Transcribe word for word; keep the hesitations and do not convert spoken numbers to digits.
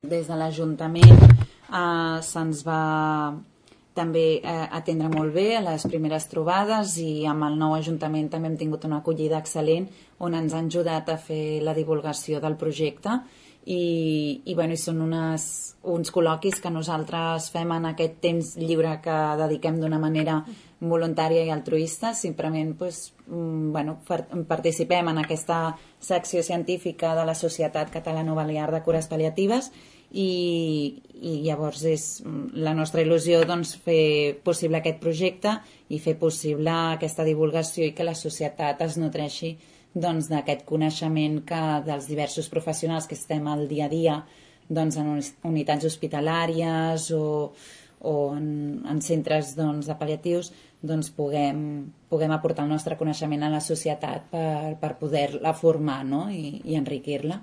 des de l'Ajuntament eh, se'ns va també eh, atendre molt bé a les primeres trobades, i amb el nou Ajuntament també hem tingut una acollida excel·lent on ens han ajudat a fer la divulgació del projecte, i, i, bueno, i són unes, uns col·loquis que nosaltres fem en aquest temps lliure que dediquem d'una manera voluntària i altruista. Simplement pues, bueno, participem en aquesta secció científica de la Societat Catalano-Balear de Cures Pal·liatives, i, i llavors és la nostra il·lusió doncs, fer possible aquest projecte i fer possible aquesta divulgació, i que la societat es nutreixi doncs, d'aquest coneixement que dels diversos professionals que estem al dia a dia doncs, en unitats hospitalàries o, o en, en centres doncs, de pal·liatius, doncs, puguem, puguem aportar el nostre coneixement a la societat per, per poder-la formar, no? I, i enriquir-la.